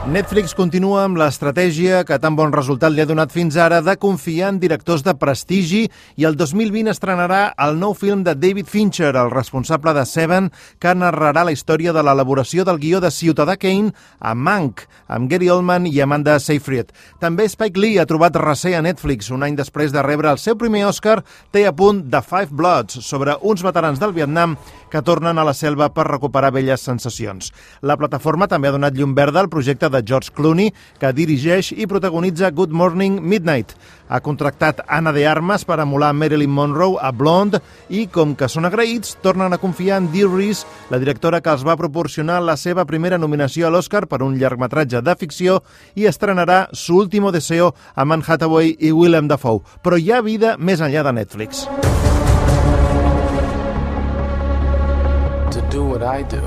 Netflix continua amb l'estratègia que tan bon resultat li ha donat fins ara de confiar en directors de prestigi i el 2020 estrenarà el nou film de David Fincher, el responsable de Seven, que narrarà la història de l'elaboració del guió de Ciutadà Kane a Mank, amb Gary Oldman i Amanda Seyfried. També Spike Lee ha trobat recer a Netflix. Un any després de rebre el seu primer Oscar, té a punt The Five Bloods, sobre uns veterans del Vietnam que tornen a la selva per recuperar velles sensacions. La plataforma també ha donat llum verda al projecte de George Clooney, que dirigeix i protagonitza Good Morning Midnight. Ha contractat Anna de Armas per emular Marilyn Monroe a Blonde i, com que són agraïts, tornen a confiar en Dee Reese, la directora que els va proporcionar la seva primera nominació a l'Oscar per un llargmetratge de ficció, i estrenarà Su último deseo amb Anne Hathaway i Willem Dafoe. Però hi ha vida més enllà de Netflix. To do what I do,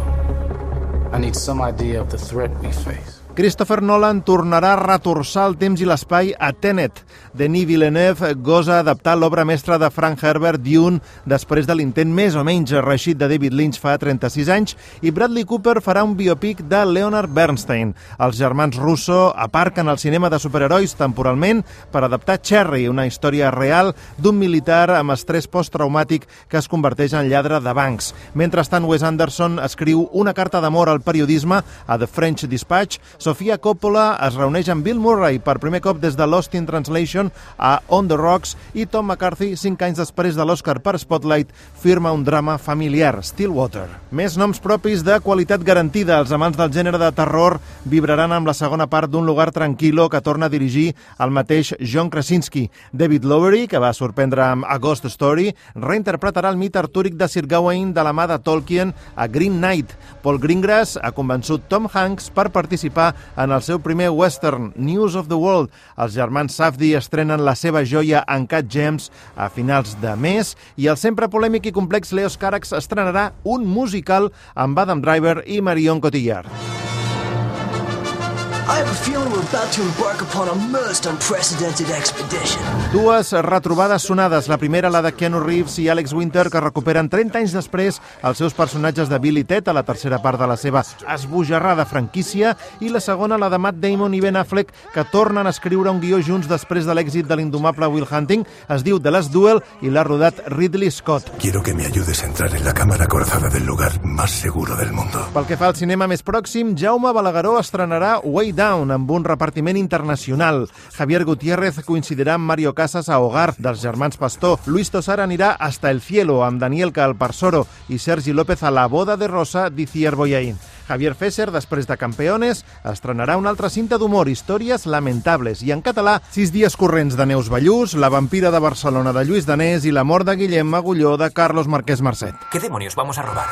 I need some idea of the threat we face. Christopher Nolan tornarà a retorçar el temps i l'espai a Tenet. Denis Villeneuve gosa adaptar l'obra mestra de Frank Herbert, Dune, després de l'intent més o menys reeixit de David Lynch fa 36 anys, i Bradley Cooper farà un biopic de Leonard Bernstein. Els germans Russo aparquen el cinema de superherois temporalment per adaptar Cherry, una història real d'un militar amb estrès posttraumàtic que es converteix en lladre de bancs. Mentrestant, Wes Anderson escriu una carta d'amor al periodisme a The French Dispatch. Sofia Coppola es reuneix amb Bill Murray per primer cop des de Lost in Translation a On the Rocks, i Tom McCarthy, 5 anys després de l'Oscar per Spotlight, firma un drama familiar, Stillwater. Més noms propis de qualitat garantida. Els amants del gènere de terror vibraran amb la segona part d'Un lugar tranquilo, que torna a dirigir el mateix John Krasinski. David Lowery, que va sorprendre amb A Ghost Story, reinterpretarà el mite artúric de Sir Gawain de la mà de Tolkien a Green Knight. Paul Greengrass ha convençut Tom Hanks per participar en el seu primer western, News of the World. Els germans Safdie estrenen la seva joia Uncut Gems a finals de mes, i el sempre polèmic i complex Leos Carax estrenarà un musical amb Adam Driver i Marion Cotillard. I have a feeling we're about to embark upon a most unprecedented expedition. Dues retrobades sonades. La primera, la de Keanu Reeves i Alex Winter, que recuperen 30 anys després els seus personatges de Bill i Ted a la tercera part de la seva esbojarrada franquícia, i la segona, la de Matt Damon i Ben Affleck, que tornen a escriure un guió junts després de l'èxit de l'indomable Will Hunting. Es diu The Last Duel i l'ha rodat Ridley Scott. Quiero que me ayudes a entrar en la cámara acorazada del lugar más seguro del mundo. Pel que fa al cinema més pròxim, Jaume Balagueró estrenarà Way Down, amb un repartiment internacional. Javier Gutiérrez coincidirà amb Mario Casas a Hogar, dels germans Pastor. Luis Tosar anirà Hasta el cielo, amb Daniel Calparsoro, i Sergi López a La boda de Rosa d'Iciar Boyain. Javier Fesser, després de Campeones, estrenarà una altra cinta d'humor, Històries lamentables, i en català, 6 dies corrents de Neus Ballús, La vampira de Barcelona de Lluís Danés i La mort de Guillem Agulló de Carlos Marquès Marcet. ¿Qué demonios vamos a robar?